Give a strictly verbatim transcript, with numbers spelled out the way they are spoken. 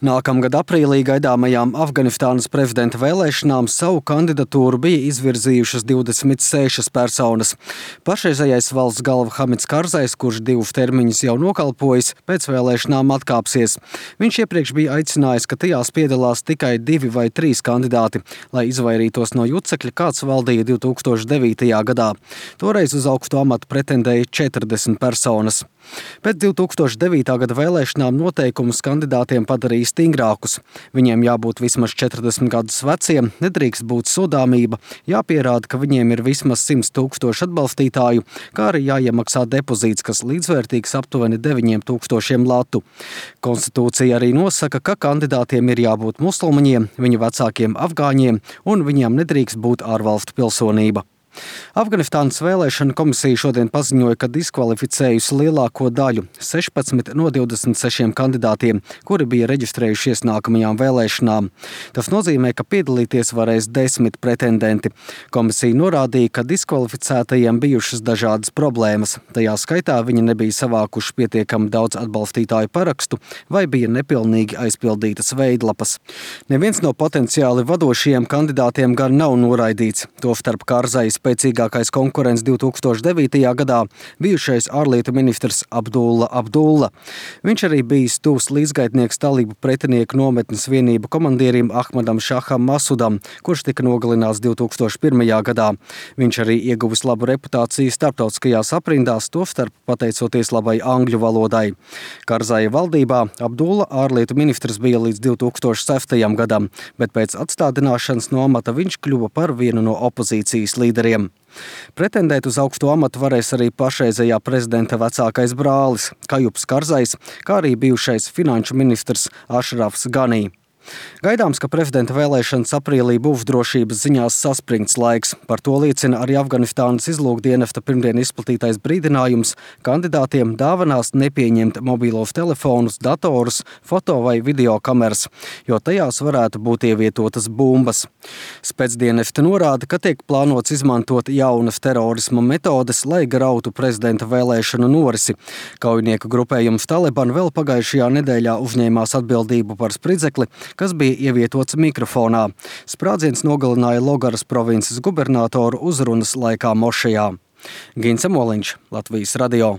Nākamgad aprīlī gaidāmajām Afganistānas prezidenta vēlēšanām savu kandidatūru bija izvirzījušas divdesmit sešas personas. Pašreizējais valsts galva Hamids Karzais, kurš divus termiņus jau nokalpojis, pēc vēlēšanām atkāpsies. Viņš iepriekš bija aicinājis, ka tajās piedalās tikai divi vai trīs kandidāti, lai izvairītos no jucekļa, kāds valdīja divi tūkstoši devītajā gadā. Toreiz uz augstu amatu pretendēja četrdesmit personas. Pēc divi tūkstoši devītā gada vēlēšanām noteikumus kandidātiem padarīja stingrākus. Viņiem jābūt vismaz četrdesmit gadus veciem, nedrīkst būt sodāmība, jāpierāda, ka viņiem ir vismaz simts tūkstoši atbalstītāju, kā arī jāiemaksā depozīts, kas līdzvērtīgs aptuveni deviņiem tūkstošiem latu. Konstitūcija arī nosaka, ka kandidātiem ir jābūt musulmaņiem, viņu vecākiem afgāņiem un viņiem nedrīkst būt ārvalstu pilsonība. Afganistānas vēlēšana komisija šodien paziņoja, ka diskvalificējusi lielāko daļu – sešpadsmit no divdesmit sešiem kandidātiem, kuri bija reģistrējušies nākamajām vēlēšanām. Tas nozīmē, ka piedalīties varēs desmit pretendenti. Komisija norādīja, ka diskvalificētajiem bijušas dažādas problēmas. Tajā skaitā viņi nebija savākuši pietiekami daudz atbalstītāju parakstu vai bija nepilnīgi aizpildītas veidlapas. Neviens no potenciāli vadošajiem kandidātiem gan nav noraidīts. Tostarp Karzais spēcīgākais konkurents divi tūkstoši devītajā gadā bijušais ārlietu ministrs Abdulla Abdulla. Viņš arī bijis tuvs līdzgaitnieks talību pretinieku nometnes vienību komandierim Ahmadam Šaham Masudam, kurš tika nogalināts divi tūkstoši pirmajā gadā. Viņš arī ieguvis labu reputāciju starptautiskajās aprindās, tostarp pateicoties labai angļu valodai. Karzaja valdībā Abdulla ārlietu ministrs bija līdz divi tūkstoši sestajam gadam, bet pēc atstādināšanas no amata viņš kļuva par vienu no opozīcijas līderiem. Pretendēt uz augstu amatu varēs arī pašreizējā prezidenta vecākais brālis Kajups Karzais, kā arī bijušais finanšu ministrs Ašrafs Ganī. Gaidāms, ka prezidenta vēlēšanas aprīlī būs drošības ziņās saspringts laiks. Par to liecina arī Afganistānas izlūkdienesta pirmdien izplatītais brīdinājums kandidātiem dāvanās nepieņemt mobīlos telefonus, datorus, foto vai video kameras, jo tajās varētu būt ievietotas bumbas. Spēcdienesti norāda, ka tiek plānots izmantot jaunas terorisma metodes, lai grautu prezidenta vēlēšanu norisi. Kaujinieku grupējums Taliban vēl pagājušajā nedēļā uzņēmās atbildību par spridzekli, kas bija ievietots mikrofonā. Sprādziens nogalināja Logaras provinces gubernatoru uzrunas laikā mošejā. Gince Moliņš, Latvijas radio.